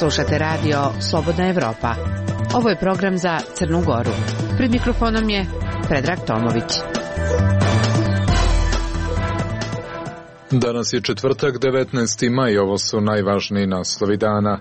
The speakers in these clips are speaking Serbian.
Slušate radio Slobodna Evropa. Ovo je program za Crnu Goru. Pred mikrofonom je Predrag Tomović. Danas je četvrtak, 19. maj. Ovo su najvažniji naslovi dana.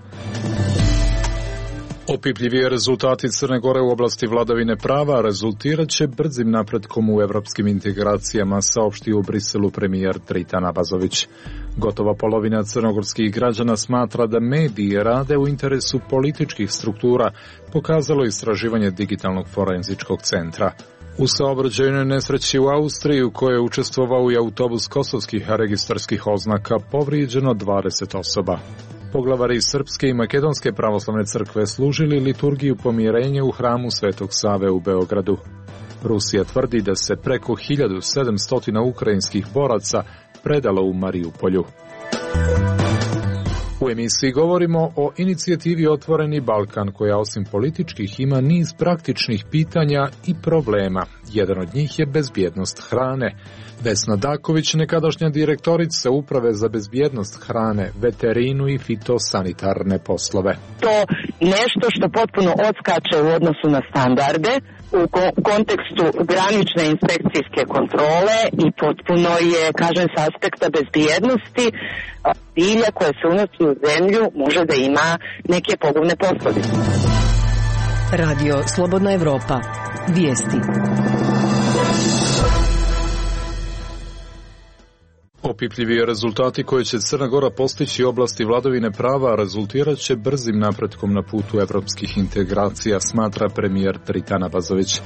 Opipljivije rezultati Crne Gore u oblasti vladavine prava rezultirat će brzim napretkom u evropskim integracijama, saopštio u Briselu premijer Dritan Abazović. Gotova polovina crnogorskih građana smatra da mediji rade u interesu političkih struktura, pokazalo istraživanje Digitalnog forenzičkog centra. U saobraćajnoj nesreći u Austriji, u kojoj je učestvovao i autobus kosovskih registarskih oznaka, povrijeđeno 20 osoba. Poglavari Srpske i Makedonske pravoslavne crkve služili liturgiju pomirenja u hramu Svetog Save u Beogradu. Rusija tvrdi da se preko 1700 ukrajinskih boraca predalo u Marijupolju. U emisiji govorimo o inicijativi Otvoreni Balkan, koja osim političkih ima niz praktičnih pitanja i problema. Jedan od njih je bezbjednost hrane. Vesna Daković, nekadašnja direktorica Uprave za bezbjednost hrane, veterinu i fitosanitarne poslove. To nešto što potpuno odskače u odnosu na standarde, u kontekstu granične inspekcijske kontrole i potpuno je, kažem, s aspekta bezbjednosti bilja koje se unosi u zemlju može da ima neke pogubne posljedice. Radio Slobodna Evropa. Vijesti. Opipljiviji rezultati koje će Crna Gora postići u oblasti vladavine prava rezultirat će brzim napretkom na putu evropskih integracija, smatra premijer Dritan Abazović.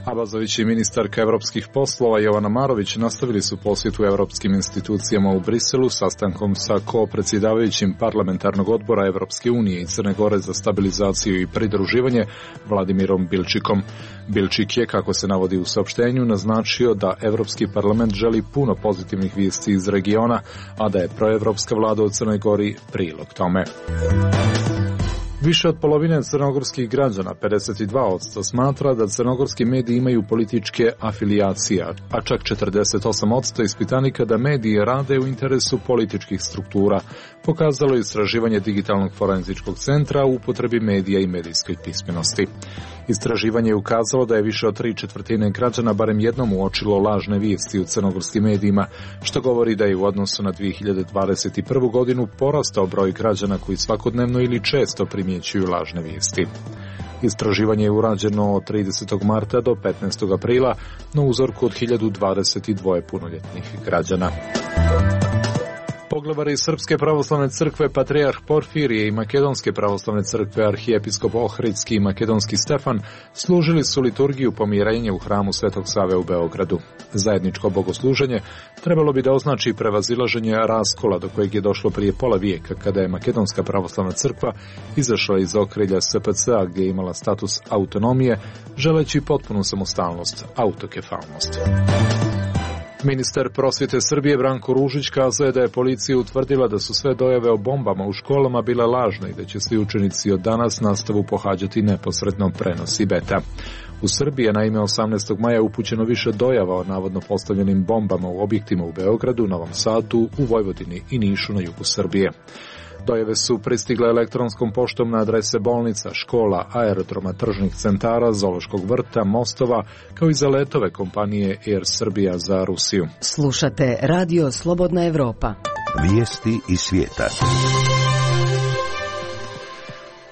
Abazović i ministarka evropskih poslova Jovana Marović nastavili su posjetu evropskim institucijama u Briselu sastankom sa ko-predsjedavajućim parlamentarnog odbora Evropske unije i Crne Gore za stabilizaciju i pridruživanje Vladimirom Bilčikom. Bilčik je, kako se navodi u saopštenju, naznačio da Evropski parlament želi puno pozitivnih vijesti iz regiona, a da je proevropska vlada u Crnoj Gori prilog tome. Više od polovine crnogorskih građana, 52%, smatra da crnogorski mediji imaju političke afilijacije, a čak 48% ispitanika da mediji rade u interesu političkih struktura, pokazalo je istraživanje Digitalnog forenzičkog centra u upotrebi medija i medijskoj pismenosti. Istraživanje je ukazalo da je više od 3/4 građana barem jednom uočilo lažne vijesti u crnogorskim medijima, što govori da je u odnosu na 2021. godinu porastao broj građana koji svakodnevno ili često primjećuju lažne vijesti. Istraživanje je urađeno od 30. marta do 15. aprila na uzorku od 1022 punoljetnih građana. Poglavari Srpske pravoslavne crkve Patrijarh Porfirije i Makedonske pravoslavne crkve Arhijepiskop Ohridski i Makedonski Stefan služili su liturgiju pomirenja u hramu Svetog Save u Beogradu. Zajedničko bogosluženje trebalo bi da označi prevazilaženje raskola do kojeg je došlo prije pola vijeka, kada je Makedonska pravoslavna crkva izašla iz okrilja SPC-a gdje je imala status autonomije, želeći potpunu samostalnost, autokefalnost. Ministar prosvjete Srbije Branko Ružić kazao je da je policija utvrdila da su sve dojave o bombama u školama bile lažne i da će svi učenici od danas nastavu pohađati neposredno, prenosi Beta. U Srbiji je naime 18. maja upućeno više dojava o navodno postavljenim bombama u objektima u Beogradu, Novom Sadu, u Vojvodini i Nišu na jugu Srbije. Dojave su pristigle elektronskom poštom na adrese bolnica, škola, aerodroma, tržnih centara, zoološkog vrta, mostova, kao i za letove kompanije Air Srbija za Rusiju. Slušate Radio Slobodna Evropa. Vijesti iz svijeta.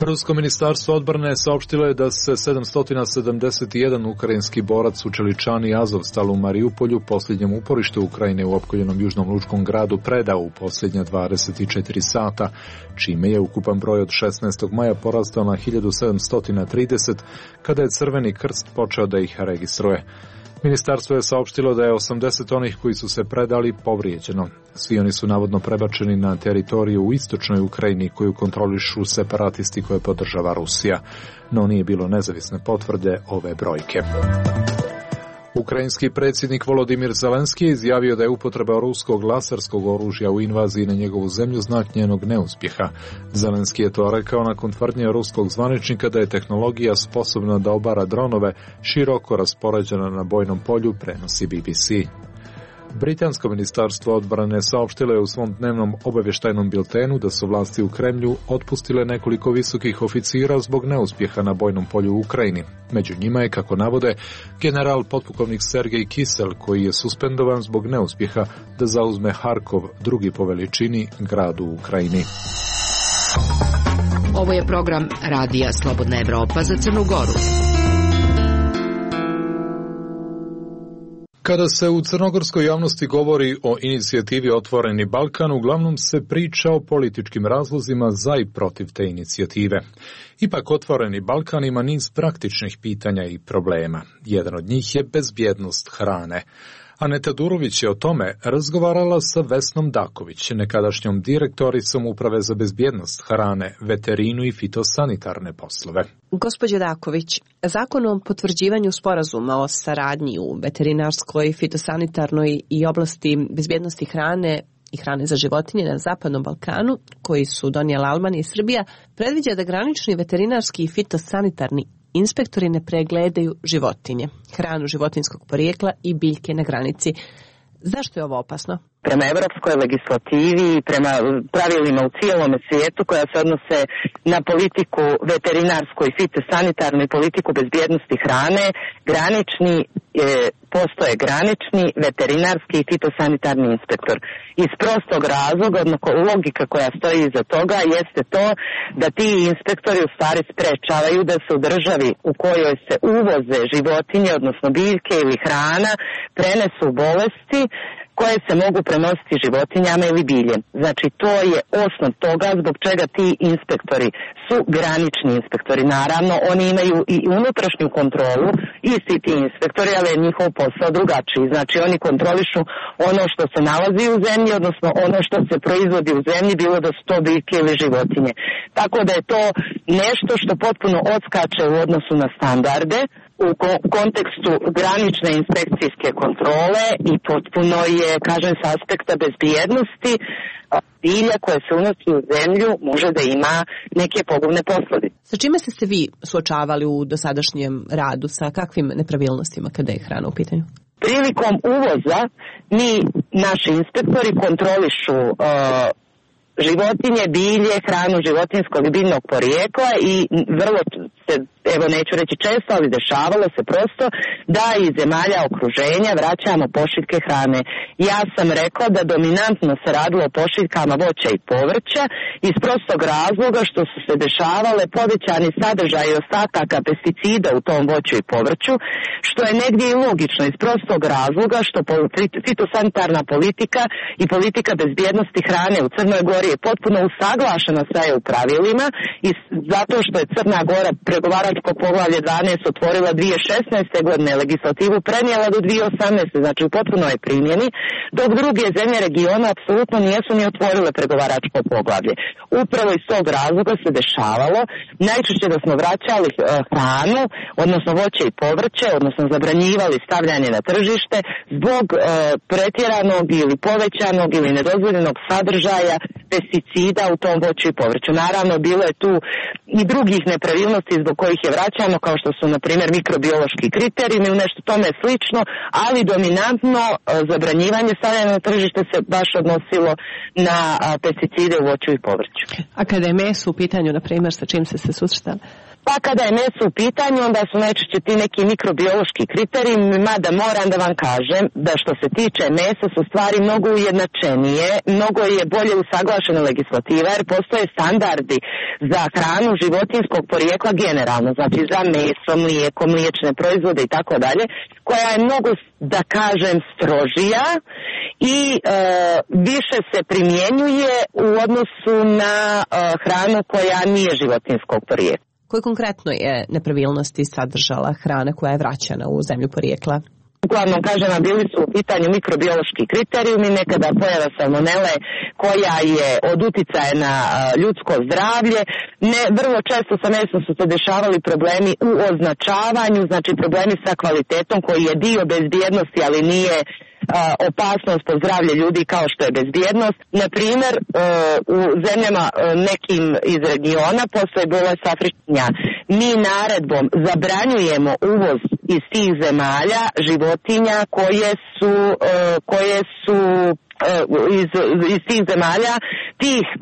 Rusko ministarstvo odbrane saopštilo je da se 771 ukrajinski borac u Čeličani Azovstal u Marijupolju, posljednjem uporištu Ukrajine u opkoljenom južnom lučkom gradu, predao u posljednja 24 sata, čime je ukupan broj od 16. maja porastao na 1730, kada je Crveni krst počeo da ih registruje. Ministarstvo je saopštilo da je 80 onih koji su se predali povrijeđeno. Svi oni su navodno prebačeni na teritoriju u istočnoj Ukrajini koju kontrolišu separatisti koje podržava Rusija, no nije bilo nezavisne potvrde ove brojke. Ukrajinski predsjednik Volodimir Zelenski je izjavio da je upotreba ruskog laserskog oružja u invaziji na njegovu zemlju znak njenog neuspjeha. Zelenski je to rekao nakon tvrdnje ruskog zvaničnika da je tehnologija sposobna da obara dronove široko raspoređena na bojnom polju, prenosi BBC. Britansko ministarstvo odbrane saopštilo je u svom dnevnom obavještajnom biltenu da su vlasti u Kremlju otpustile nekoliko visokih oficira zbog neuspjeha na bojnom polju u Ukrajini. Među njima je, kako navode, general potpukovnik Sergej Kisel, koji je suspendovan zbog neuspjeha da zauzme Harkov, drugi po veličini grad u Ukrajini. Ovo je program Radija Slobodna Evropa za Crnu Goru. Kada se u crnogorskoj javnosti govori o inicijativi Otvoreni Balkan, uglavnom se priča o političkim razlozima za i protiv te inicijative. Ipak Otvoreni Balkan ima niz praktičnih pitanja i problema. Jedan od njih je bezbjednost hrane. Aneta Durović je o tome razgovarala sa Vesnom Daković, nekadašnjom direktoricom Uprave za bezbjednost hrane, veterinu i fitosanitarne poslove. Gospođo Daković, Zakon o potvrđivanju sporazuma o saradnji u veterinarskoj, fitosanitarnoj i oblasti bezbjednosti hrane i hrane za životinje na Zapadnom Balkanu, koji su donijela Albanija i Srbija, predviđa da granični veterinarski i fitosanitarni inspektori ne pregledaju životinje, hranu životinjskog porijekla i biljke na granici. Zašto je ovo opasno? Prema evropskoj legislativi i prema pravilima u cijelom svijetu koja se odnose na politiku veterinarsku i fitosanitarnu i politiku bezbjednosti hrane, postoje granični veterinarski i fitosanitarni inspektor. Iz prostog razloga, odnosno logika koja stoji iza toga jeste to da ti inspektori u stvari sprečavaju da se u državi u kojoj se uvoze životinje, odnosno biljke ili hrana, prenesu bolesti koje se mogu prenositi životinjama ili biljem. Znači, to je osnov toga zbog čega ti inspektori su granični inspektori. Naravno, oni imaju i unutrašnju kontrolu, isti ti inspektori, ali je njihov posao drugačiji. Znači, oni kontrolišu ono što se nalazi u zemlji, odnosno ono što se proizvodi u zemlji, bilo da su to biljke ili životinje. Tako da je to nešto što potpuno odskače u odnosu na standarde, u kontekstu granične inspekcijske kontrole i potpuno je, kažem, s aspekta bezbjednosti bilja koje se unosi u zemlju može da ima neke pogubne posljedice. Sa čime ste se vi suočavali u dosadašnjem radu, sa kakvim nepravilnostima kada je hrana u pitanju? Prilikom uvoza naši inspektori kontrolišu životinje, bilje, hranu životinjskog i biljnog porijekla i vrlo se, evo neću reći često, ali dešavalo se prosto da iz zemalja okruženja vraćamo pošiljke hrane. Ja sam rekla da dominantno se radilo o pošiljkama voća i povrća iz prostog razloga što su se dešavale povećani sadržaji ostataka pesticida u tom voću i povrću, što je negdje i logično iz prostog razloga što fitosanitarna politika i politika bezbjednosti hrane u Crnoj Gori je potpuno usaglašena sa EU pravilima i zato što je Crna Gora pregovaračko poglavlje 12 otvorila 2016. godine, legislativu prenijela do 2018. Znači u potpunoj primjeni, dok druge zemlje regiona apsolutno nijesu ni otvorile pregovaračko poglavlje. Upravo iz tog razloga se dešavalo najčešće da smo vraćali hranu, odnosno voće i povrće, odnosno zabranjivali stavljanje na tržište zbog pretjeranog ili povećanog ili nedozvoljenog sadržaja pesticida u tom voću i povrću. Naravno, bilo je tu i drugih nepravilnosti zbog kojih je vraćano, kao što su, na primjer, mikrobiološki kriterijumi ili nešto tome slično, ali dominantno zabranjivanje stavljanja na tržište se baš odnosilo na pesticide u voću i povrću. A kada je meso u pitanju, na primjer, sa čim ste se susretali? Pa kada je meso u pitanju, onda su najčešće ti neki mikrobiološki kriterijumi, mada moram da vam kažem da što se tiče mesa su stvari mnogo ujednačenije, mnogo je bolje usaglašena legislativa, jer postoje standardi za hranu životinjskog porijekla generalno, znači za meso, mlijeko, mliječne proizvode i tako dalje, koja je mnogo, da kažem, strožija i više se primjenjuje u odnosu na hranu koja nije životinjskog porijekla. Koje konkretno je nepravilnosti sadržala hrana koja je vraćana u zemlju porijekla? Uglavnom, kažem, bili su u pitanju mikrobiološki kriterijumi, nekada pojava salmonele koja je od uticaja na ljudsko zdravlje. Vrlo često sa mesom su se dešavali problemi u označavanju, znači problemi sa kvalitetom koji je dio bezbjednosti, ali nije opasnost po zdravlje ljudi kao što je bezbjednost. Na primjer, u zemljama nekim iz regiona postoji bolest afričnja. Mi naredbom zabranjujemo uvoz iz tih zemalja životinja koje su iz tih zemalja,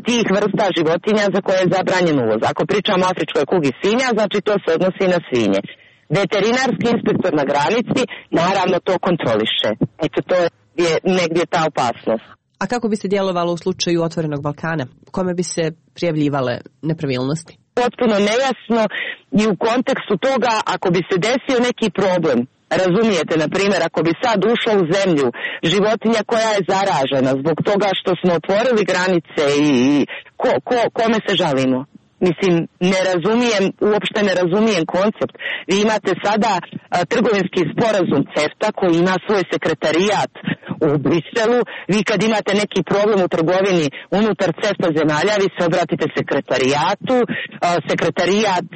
tih vrsta životinja za koje je zabranjen uvoz. Ako pričamo o afričkoj kugi svinja, znači to se odnosi na svinje. Veterinarski inspektor na granici naravno to kontroliše. Eto, to je negdje ta opasnost. A kako bi se djelovalo u slučaju Otvorenog Balkana? Kome bi se prijavljivale nepravilnosti? Potpuno nejasno i u kontekstu toga ako bi se desio neki problem, razumijete, na primjer, ako bi sad ušla u zemlju životinja koja je zaražena zbog toga što smo otvorili granice i kome se žalimo? Mislim, uopšte ne razumijem koncept. Vi imate sada trgovinski sporazum CEFTA koji ima svoj sekretarijat u Briselu. Vi kad imate neki problem u trgovini unutar CEFTA zemalja, vi se obratite sekretarijatu. Sekretarijat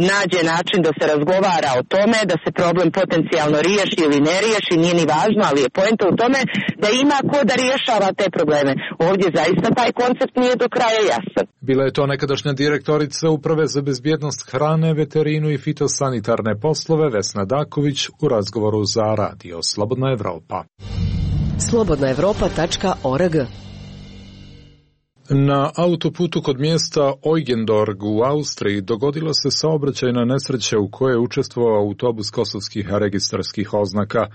nađe način da se razgovara o tome, da se problem potencijalno riješi ili ne riješi, nije ni važno, ali je poenta u tome da ima ko da rješava te probleme. Ovdje zaista taj koncept nije do kraja jasan. Bila je to nekadašnja direktorica Uprave za bezbjednost hrane, veterinu i fitosanitarne poslove Vesna Daković u razgovoru za Radio Slobodna Evropa. Slobodnaevropa.org. Na autoputu kod mjesta Eugendorf u Austriji dogodila se saobraćajna nesreća u kojoj je učestvovao autobus kosovskih registarskih oznaka.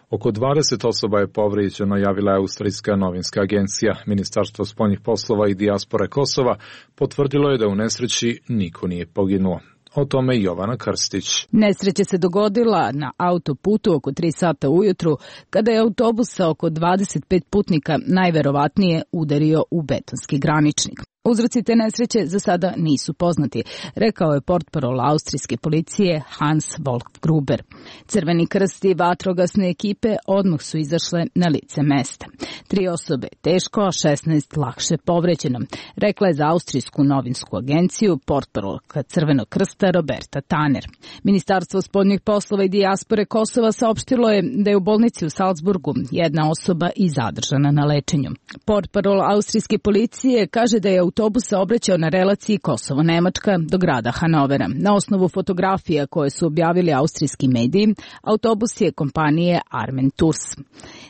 Oko 20 osoba je povrijeđeno, javila je austrijska novinska agencija. Ministarstvo spoljnih poslova i dijaspore Kosova potvrdilo je da u nesreći niko nije poginuo. O tome Jovana Krstić. Nesreća se dogodila na autoputu oko 3 sata ujutru, kada je autobus sa oko 25 putnika najverovatnije udario u betonski graničnik. Uzroci te nesreće za sada nisu poznati, rekao je portparol austrijske policije Hans Wolf-Gruber. Crveni krst i vatrogasne ekipe odmah su izašle na lice mesta. 3 osobe teško, a 16 lakše povređeno, rekla je za austrijsku novinsku agenciju portparolka Crvenog krsta Roberta Tanner. Ministarstvo spoljnih poslova i dijaspore Kosova saopštilo je da je u bolnici u Salzburgu jedna osoba i zadržana na lečenju. Portparol austrijske policije kaže da je autobus saobraćao na relaciji Kosovo-Nemačka do grada Hanovera. Na osnovu fotografija koje su objavili austrijski mediji, autobus je kompanije Armen Tours.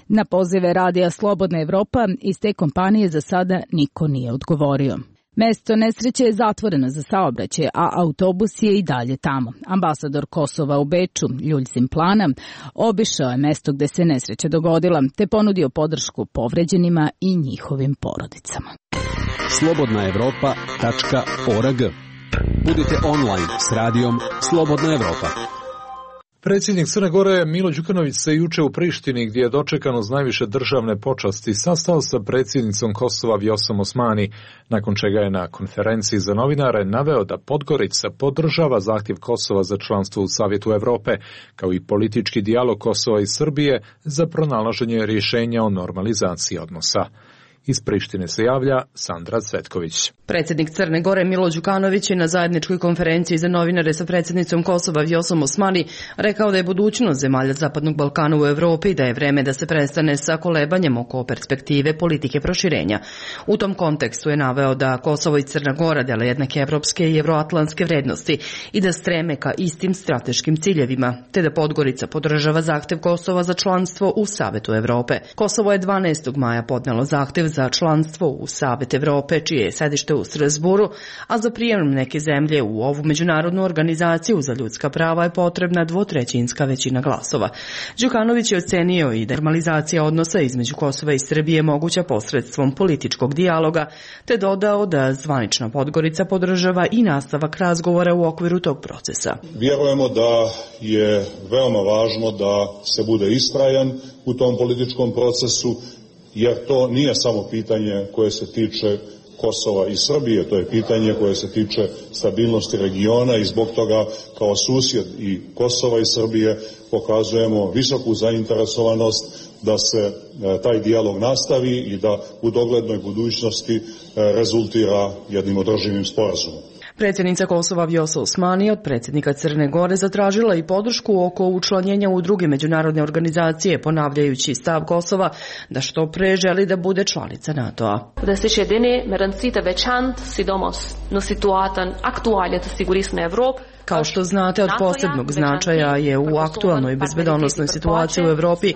Na pozive Radija Slobodna Evropa iz te kompanije za sada niko nije odgovorio. Mesto nesreće je zatvoreno za saobraćaj, a autobus je i dalje tamo. Ambasador Kosova u Beču, Ljuljzim Plana, obišao je mesto gde se nesreća dogodila, te ponudio podršku povređenima i njihovim porodicama. Slobodnaevropa.org. Budite online s radijom Slobodna Evropa. Predsjednik Crne Gore Milo Đukanović se juče u Prištini, gdje je dočekan uz najviše državne počasti, sastao sa predsjednicom Kosova Vjosom Osmani, nakon čega je na konferenciji za novinare naveo da Podgorica podržava zahtjev Kosova za članstvo u Savjetu Evrope, kao i politički dijalog Kosova i Srbije za pronalaženje rješenja o normalizaciji odnosa. Iz Prištine se javlja Sandra Cvetković. Predsjednik Crne Gore Milo Đukanović je na zajedničkoj konferenciji za novinare sa predsjednicom Kosova Vjosom Osmani rekao da je budućnost zemalja Zapadnog Balkana u Evropi i da je vreme da se prestane sa kolebanjem oko perspektive politike proširenja. U tom kontekstu je naveo da Kosovo i Crna Gora dele jednake evropske i evroatlantske vrednosti i da streme ka istim strateškim ciljevima, te da Podgorica podržava zahtev Kosova za članstvo u Savetu Evrope. Kosovo je 12. maja podnelo zahtev za članstvo u Savet Evrope, čije je sedište u Strasburu, a za prijem neke zemlje u ovu međunarodnu organizaciju za ljudska prava je potrebna 2/3 većina glasova. Đukanović je ocenio i da normalizacija odnosa između Kosova i Srbije moguća posredstvom političkog dijaloga, te dodao da zvanična Podgorica podržava i nastavak razgovora u okviru tog procesa. Vjerujemo da je veoma važno da se bude istrajan u tom političkom procesu, jer to nije samo pitanje koje se tiče Kosova i Srbije, to je pitanje koje se tiče stabilnosti regiona i zbog toga kao susjed i Kosova i Srbije pokazujemo visoku zainteresovanost da se taj dijalog nastavi i da u doglednoj budućnosti rezultira jednim održivim sporazumom. Predsjednica Kosova Vjosa Osmani od predsjednika Crne Gore zatražila i podršku oko učlanjenja u druge međunarodne organizacije, ponavljajući stav Kosova da što pre želi da bude članica NATO-a. Kao što znate, od posebnog značaja je u aktualnoj bezbedonosnoj situaciji u Evropi,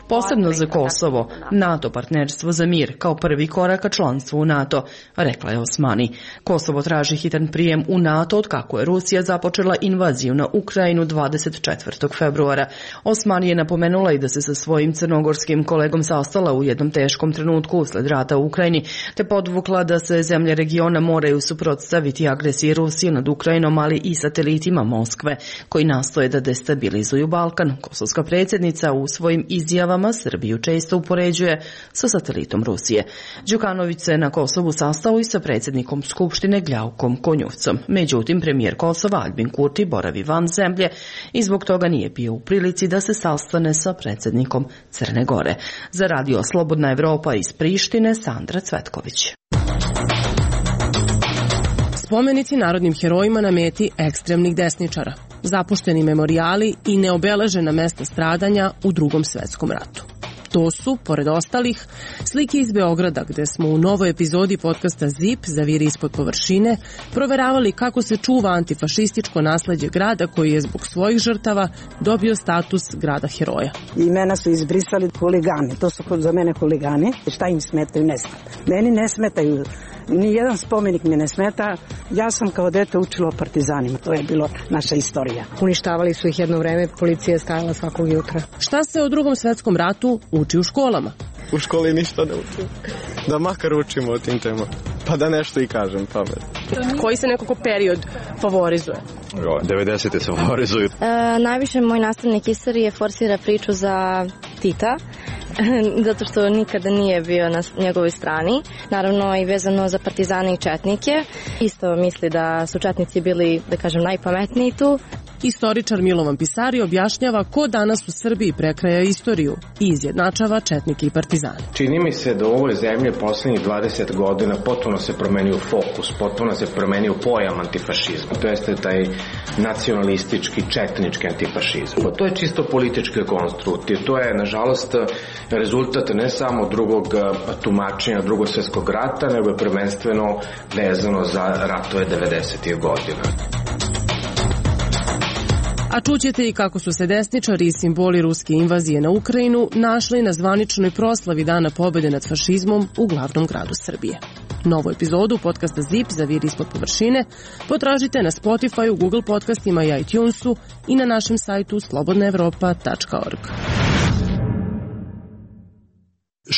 posebno za Kosovo, NATO partnerstvo za mir kao prvi korak ka članstvu u NATO, rekla je Osmani. Kosovo traži hitan prijem u NATO od kako je Rusija započela invaziju na Ukrajinu 24. februara. Osmani je napomenula i da se sa svojim crnogorskim kolegom sastala u jednom teškom trenutku usled rata u Ukrajini, te podvukla da se zemlje regiona moraju suprotstaviti agresiji Rusije nad Ukrajinom, ali i satelitima Moskve, koji nastoje da destabilizuju Balkan. Kosovska predsjednica u svojim izjavama Srbiju često upoređuje sa satelitom Rusije. Đukanović se na Kosovu sastao i sa predsjednikom Skupštine Gljaukom Konjuvcom. Međutim, premijer Kosova Albin Kurti boravi van zemlje i zbog toga nije bio u prilici da se sastane sa predsjednikom Crne Gore. Za Radio Slobodna Evropa iz Prištine, Sandra Cvetković. Spomenici narodnim herojima na meti ekstremnih desničara, zapušteni memorijali i neobeležena mesta stradanja u Drugom svetskom ratu. To su, pored ostalih, slike iz Beograda, gde smo u novoj epizodi podcasta ZIP, Zaviri ispod površine, proveravali kako se čuva antifašističko nasleđe grada koji je zbog svojih žrtava dobio status grada heroja. Imena su izbrisali huligani, to su za mene huligani. Šta im smetaju? Ne smeta. Meni ne smetaju. Nijedan spomenik mi ne smeta. Ja sam kao dete učila o partizanima. To je bilo naša istorija. Uništavali su ih jedno vreme, policija je stajala svakog jutra. Šta se o Drugom svetskom ratu uči u školama? U školi ništa ne učim. Da makar učimo o tim temama. Pa da nešto i kažem pamet. Koji se nekako period favorizuje? 90. se favorizuju. Najviše moj nastavnik istorije forsira priču za Tita, zato što nikada nije bio na njegovoj strani. Naravno i vezano za partizane i četnike. Isto misli da su četnici bili, da kažem, najpametniji tu. Istoričar Milovan Pisari objašnjava ko danas u Srbiji prekraja istoriju i izjednačava četnike i partizane. Čini mi se da u ovoj zemlji poslednjih 20 godina potpuno se promenio fokus, potpuno se promenio pojam antifašizma. To jeste taj nacionalistički, četnički antifašizam. To je čisto politički konstrukt i to je, nažalost, rezultat ne samo drugog tumačenja Drugog svjetskog rata, nego je prvenstveno vezano za ratove 90. godina. A čućete i kako su se desničari i simboli ruske invazije na Ukrajinu našli na zvaničnoj proslavi Dana pobjede nad fašizmom u glavnom gradu Srbije. Novu epizodu podcasta ZIP, Zaviri ispod površine, potražite na Spotify, Google podcastima i iTunesu i na našem sajtu slobodnaevropa.org.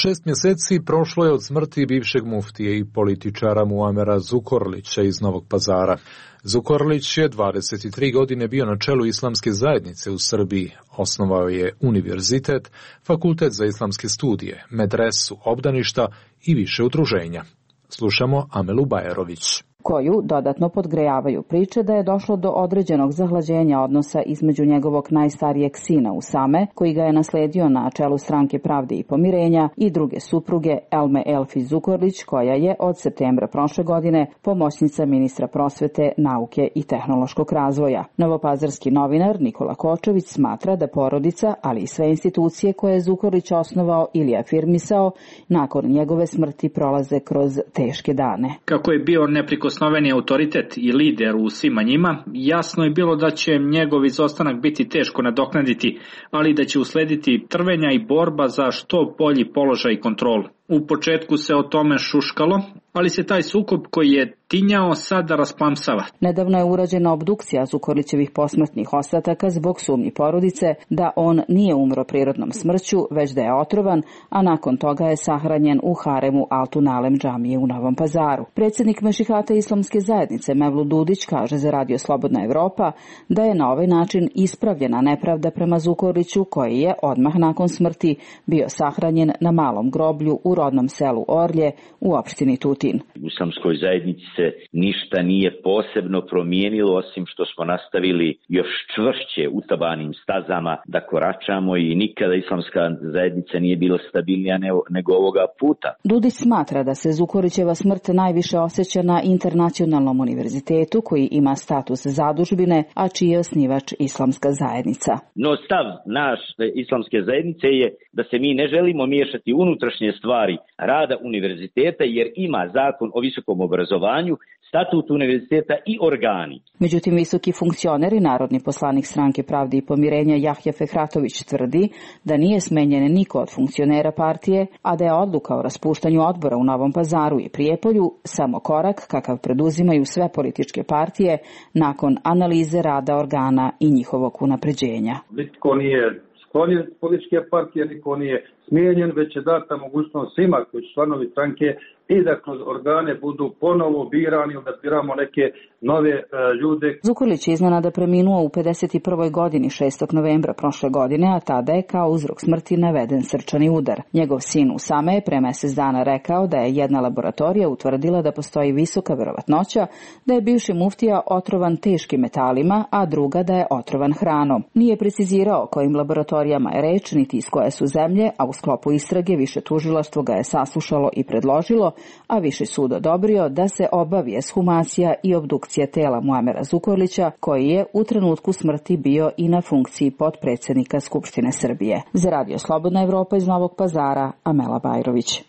6 mjeseci prošlo je od smrti bivšeg muftije i političara Muamera Zukorlića iz Novog Pazara. Zukorlić je 23 godine bio na čelu islamske zajednice u Srbiji. Osnovao je univerzitet, fakultet za islamske studije, medresu, obdaništa i više udruženja. Slušamo Amelu Bajerović. Koju dodatno podgrejavaju priče da je došlo do određenog zahlađenja odnosa između njegovog najstarijeg sina Usame, koji ga je nasledio na čelu Stranke pravde i pomirenja, i druge supruge Elme Elfi Zukorlić, koja je od septembra prošle godine pomoćnica ministra prosvete, nauke i tehnološkog razvoja. Novopazarski novinar Nikola Kočević smatra da porodica, ali i sve institucije koje je Zukorlić osnovao ili afirmisao, nakon njegove smrti prolaze kroz teške dane. Kako je bio neprikosnoveni autoritet i lider u svima njima, jasno je bilo da će njegov izostanak biti teško nadoknaditi, ali da će uslediti trvenja i borba za što bolji položaj i kontrolu. U početku se o tome šuškalo, ali se taj sukob koji je tinjao sada rasplamsava. Nedavno je urađena obdukcija Zukorlićevih posmrtnih ostataka zbog sumnji porodice da on nije umro prirodnom smrću, već da je otrovan, a nakon toga je sahranjen u haremu Altunalem džamije u Novom Pazaru. Predsjednik Mešihata islamske zajednice Mevlut Dudić kaže za Radio Slobodna Evropa da je na ovaj način ispravljena nepravda prema Zukorliću, koji je odmah nakon smrti bio sahranjen na malom groblju u rodnom selu Orlje u opštini Tutin. U islamskoj zajednici se ništa nije posebno promijenilo, osim što smo nastavili još čvršće utabanim stazama da koračamo i nikada islamska zajednica nije bila stabilnija nego ovoga puta. Dudić smatra da se Zukorlićeva smrt najviše osjeća na Internacionalnom univerzitetu, koji ima status zadužbine, a čiji je osnivač islamska zajednica. No stav naš islamske zajednice je da se mi ne želimo miješati unutrašnje stvari rada univerziteta, jer ima zakon o visokom obrazovanju, statut univerziteta i organi. Međutim, visoki funkcioner i narodni poslanik Stranke pravde i pomirenja Jahja Fehratović tvrdi da nije smenjen niko od funkcionera partije, a da je odluka o raspuštanju odbora u Novom Pazaru i Prijepolju samo korak kakav preduzimaju sve političke partije nakon analize rada organa i njihovog unapređenja. Niko nije sklonjen političke partije, niko nije smijenjen, već je data mogućnost svima koji su članovi stranke i da kroz organe budu ponovo birani, da biramo neke nove ljude. Zukorlić je iznenada preminuo u 51. godini 6. novembra prošle godine, a tada je kao uzrok smrti naveden srčani udar. Njegov sin Usame je pre mesec dana rekao da je jedna laboratorija utvrdila da postoji visoka verovatnoća da je bivši muftija otrovan teškim metalima, a druga da je otrovan hranom. Nije precizirao o kojim laboratorijama je reč, niti iz koje su zemlje, a u sklopu istrage više tužilaštvo ga je saslušalo i predložilo, a Viši sud odobrio da se obavi ekshumacija i obdukcija tela Muamera Zukorlića, koji je u trenutku smrti bio i na funkciji potpredsednika Skupštine Srbije. Za Radio Slobodna Evropa iz Novog Pazara, Amela Bajrović.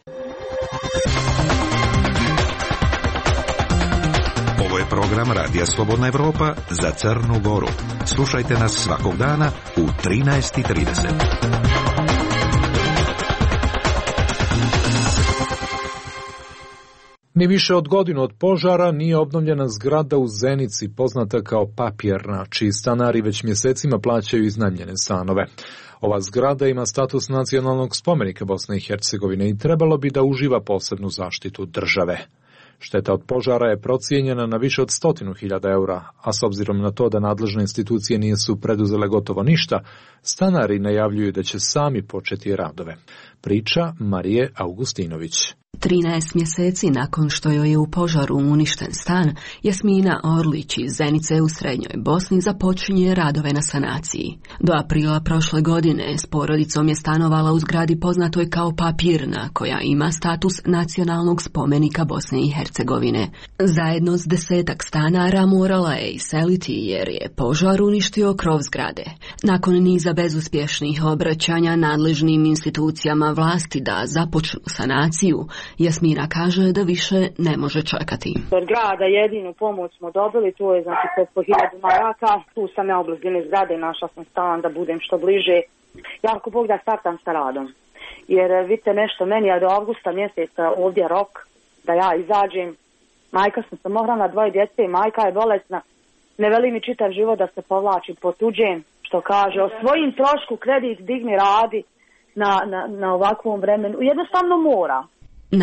Ovo je program Radija Slobodna Evropa za Crnu Goru. Slušajte nas svakog dana u 13:30. Ni više od godinu od požara nije obnovljena zgrada u Zenici, poznata kao Papirna, čiji stanari već mjesecima plaćaju iznajmljene stanove. Ova zgrada ima status nacionalnog spomenika Bosne i Hercegovine i trebalo bi da uživa posebnu zaštitu države. Šteta od požara je procijenjena na više od 100.000 eura, a s obzirom na to da nadležne institucije nisu preduzele gotovo ništa, stanari najavljuju da će sami početi radove. Priča Marije Augustinović. 13 mjeseci nakon što joj je u požaru uništen stan, Jasmina Orlić iz Zenice u Srednjoj Bosni započinje radove na sanaciji. Do aprila prošle godine s porodicom je stanovala u zgradi poznatoj kao Papirna, koja ima status nacionalnog spomenika Bosne i Hercegovine. Zajedno s 10-ak stanara morala je iseliti jer je požar uništio krov zgrade. Nakon niza bezuspješnih obraćanja nadležnim institucijama vlasti da započnu sanaciju, Jasmina kaže da više ne može čekati. Od grada jedinu pomoć smo dobili, to je znači po 1000 maraka. Tu sam ja u blizini zgrade, našla sam stan da budem što bliže. Ja ako Bog da startam sa radom. Jer vidite nešto, meni je do avgusta mjeseca ovdje rok da ja izađem. Majka sam samohrana, 2 djece, majka je bolesna. Ne veli mi čitav život da se povlačim po tuđem, što kaže, o svojim trošku kredit digni radi na ovakvom vremenu. Jednostavno mora.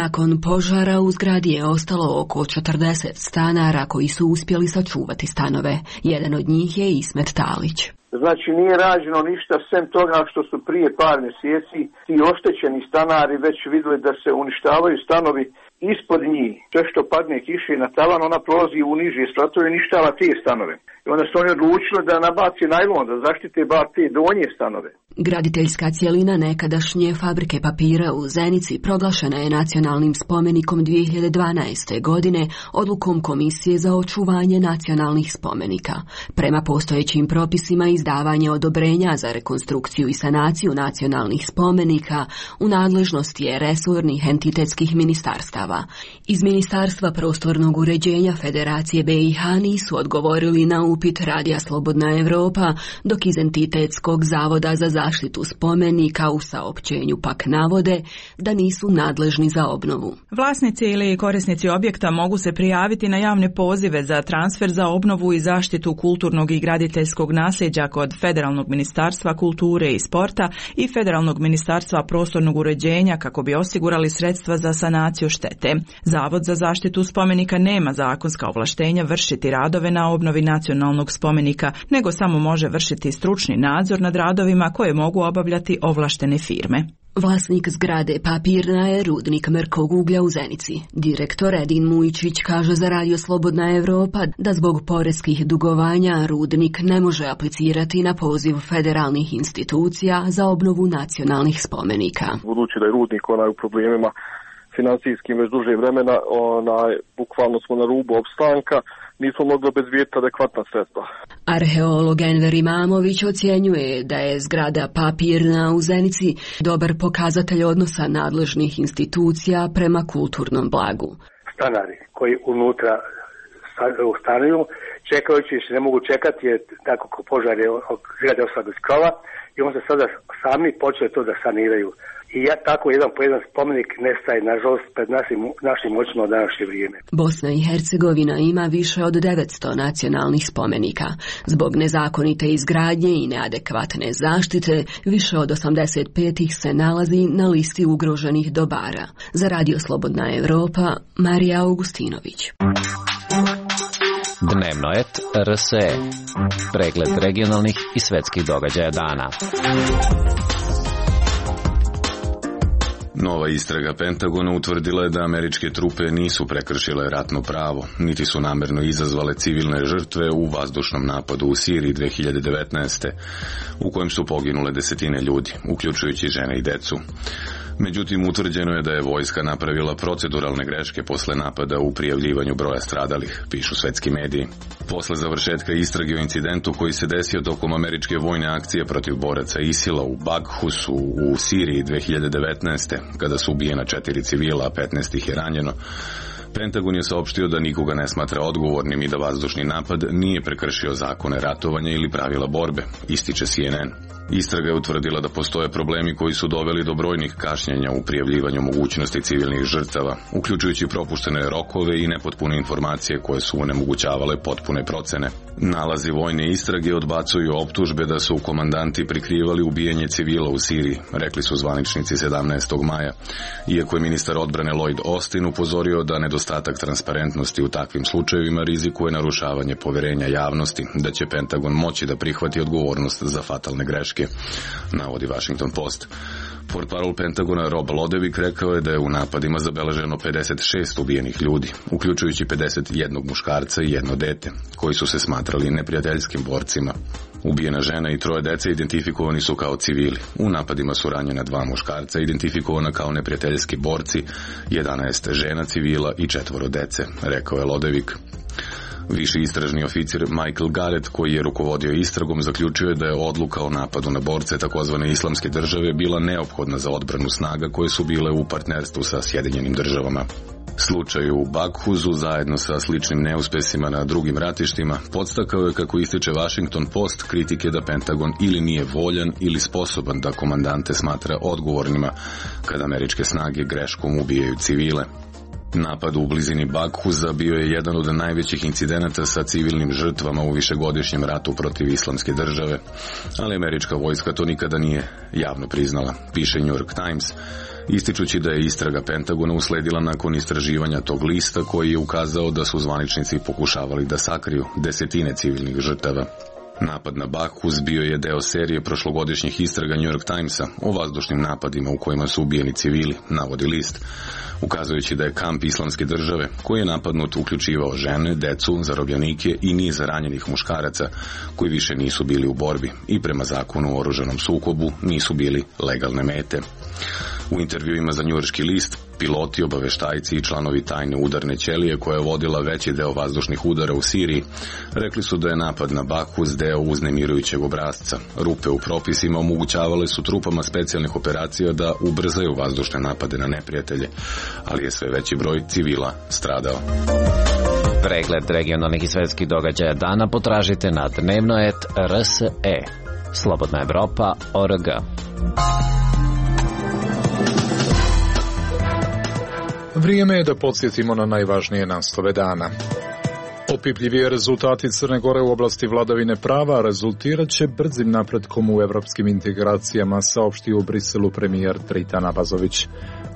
Nakon požara u zgradi je ostalo oko 40 stanara koji su uspjeli sačuvati stanove. Jedan od njih je Ismet Talić. Znači nije rađeno ništa sem toga što su prije par mjeseci ti oštećeni stanari već vidjeli da se uništavaju stanovi ispod njih. Sve što padne kiše na tavan, ona prolazi u niže spratove i uništava te stanove. I onda su oni odlučili da nabaci najlon, da zaštite bar te donje stanove. Graditeljska cjelina nekadašnje fabrike papira u Zenici proglašena je nacionalnim spomenikom 2012. godine odlukom Komisije za očuvanje nacionalnih spomenika. Prema postojećim propisima izdavanje odobrenja za rekonstrukciju i sanaciju nacionalnih spomenika u nadležnosti je resornih entitetskih ministarstava. Iz Ministarstva prostornog uređenja Federacije BiH nisu odgovorili na upit Radija Slobodna Evropa, dok iz Entitetskog zavoda za zaštitu spomenika u saopćenju pak navode da nisu nadležni za obnovu. Vlasnici ili korisnici objekta mogu se prijaviti na javne pozive za transfer za obnovu i zaštitu kulturnog i graditeljskog nasljeđa kod Federalnog ministarstva kulture i sporta i Federalnog ministarstva prostornog uređenja kako bi osigurali sredstva za sanaciju štete. Zavod za zaštitu spomenika nema zakonska ovlaštenja vršiti radove na obnovi nacionalnog spomenika, nego samo može vršiti stručni nadzor nad radovima koje mogu obavljati ovlaštene firme. Vlasnik zgrade Papirna je rudnik mrkog uglja u Zenici. Direktor Edin Mujičić kaže za Radio Slobodna Evropa da zbog poreskih dugovanja rudnik ne može aplicirati na poziv federalnih institucija za obnovu nacionalnih spomenika. Budući da je rudnik u problemima financijskim već duže vremena, bukvalno smo na rubu opstanka, nismo mogli obezbijeti adekvatna sredstva. Arheolog Enver Imamović ocjenjuje da je zgrada Papirna u Zenici dobar pokazatelj odnosa nadležnih institucija prema kulturnom blagu. stanari koji unutra stanuju, čekajući se ne mogu čekati jer tako ko požar je zgrade ostala bez krova i on se sada sami počeli to da saniraju. I tako jedan po jedan spomenik nestaje, nažalost, pred našim očima u današnje vrijeme. Bosna i Hercegovina ima više od 900 nacionalnih spomenika. Zbog nezakonite izgradnje i neadekvatne zaštite, više od 85 ih se nalazi na listi ugroženih dobara. Za Radio Slobodna Evropa, Marija Augustinović. Dnevno et RSE. Pregled regionalnih i svetskih događaja dana. Nova istraga Pentagona utvrdila je da američke trupe nisu prekršile ratno pravo, niti su namerno izazvale civilne žrtve u vazdušnom napadu u Siriji 2019. u kojem su poginule desetine ljudi, uključujući žene i decu. Međutim, utvrđeno je da je vojska napravila proceduralne greške posle napada u prijavljivanju broja stradalih, pišu svetski mediji. Posle završetka istrage o incidentu koji se desio tokom američke vojne akcije protiv boraca ISIL-a u Baghusu u Siriji 2019. kada su ubijena 4 civila, a 15 ih je ranjeno, Pentagon je saopštio da nikoga ne smatra odgovornim i da vazdušni napad nije prekršio zakone ratovanja ili pravila borbe, ističe CNN. Istraga je utvrdila da postoje problemi koji su doveli do brojnih kašnjenja u prijavljivanju mogućnosti civilnih žrtava, uključujući propuštene rokove i nepotpune informacije koje su onemogućavale potpune procene. Nalazi vojne istrage odbacuju optužbe da su komandanti prikrivali ubijanje civila u Siriji, rekli su zvaničnici 17. maja, iako je ministar odbrane Lloyd Austin upozorio da nedostatak transparentnosti u takvim slučajevima rizikuje narušavanje poverenja javnosti, da će Pentagon moći da prihvati odgovornost za fatalne greške, navodi Washington Post. Portparol Pentagona Rob Lodevik rekao je da je u napadima zabeleženo 56 ubijenih ljudi, uključujući 51 muškarca i 1 dete, koji su se smatrali neprijateljskim borcima. Ubijena žena i 3 dece identifikovani su kao civili. U napadima su ranjena 2 muškarca identifikovana kao neprijateljski borci, 11 žena civila i 4 dece, rekao je Lodevik. Viši istražni oficir Michael Garrett, koji je rukovodio istragom, zaključio je da je odluka o napadu na borce takozvane islamske države bila neophodna za odbranu snaga koje su bile u partnerstvu sa Sjedinjenim državama. Slučaj u Baghusu, zajedno sa sličnim neuspesima na drugim ratištima, podstakao je, kako ističe Washington Post, kritike da Pentagon ili nije voljan ili sposoban da komandante smatra odgovornima kada američke snage greškom ubijaju civile. Napad u blizini Baghusa bio je jedan od najvećih incidenata sa civilnim žrtvama u višegodišnjem ratu protiv islamske države, ali američka vojska to nikada nije javno priznala, piše New York Times, ističući da je istraga Pentagona usledila nakon istraživanja tog lista koji je ukazao da su zvaničnici pokušavali da sakriju desetine civilnih žrtava. Napad na Baghus bio je deo serije prošlogodišnjih istraga New York Timesa o vazdušnim napadima u kojima su ubijeni civili, navodi list, ukazujući da je kamp islamske države, koji je napadnut, uključivao žene, decu, zarobljenike i niz ranjenih muškaraca koji više nisu bili u borbi i prema zakonu o oružanom sukobu nisu bili legalne mete. U intervjuima za njujorški list, piloti, obaveštajci i članovi tajne udarne ćelije koja je vodila veći deo vazdušnih udara u Siriji rekli su da je napad na Baghus deo uznemirujućeg obrasca. Rupe u propisima omogućavale su trupama specijalnih operacija da ubrzaju vazdušne napade na neprijatelje, ali je sve veći broj civila stradao. Pregled regionalnih i svetskih događaja dana potražite na dnevnoet.rse. Slobodna Evropa.org. Vrijeme je da podsjetimo na najvažnije naslove dana. Opipljivije rezultati Crne Gore u oblasti vladavine prava rezultirat će brzim napretkom u evropskim integracijama, saopštio u Briselu premijer Tritan Abazović.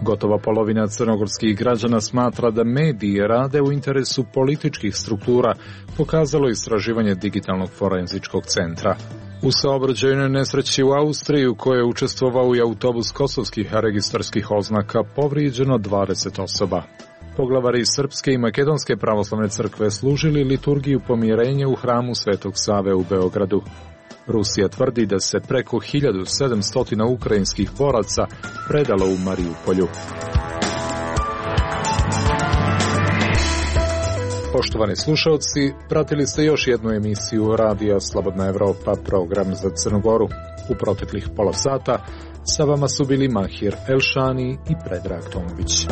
Gotova polovina crnogorskih građana smatra da mediji rade u interesu političkih struktura, pokazalo istraživanje Digitalnog forenzičkog centra. U saobraćajnoj nesreći u Austriji, u kojoj je učestvovao i autobus kosovskih registarskih oznaka, povrijeđeno 20 osoba. Poglavari Srpske i Makedonske pravoslavne crkve služili liturgiju pomirenja u hramu Svetog Save u Beogradu. Rusija tvrdi da se preko 1700 ukrajinskih boraca predalo u Mariupolju. Poštovani slušalci, pratili ste još jednu emisiju Radija Slobodna Evropa, program za Crnu Goru. U proteklih pola sata sa vama su bili Mahir Elšani i Predrag Tomović.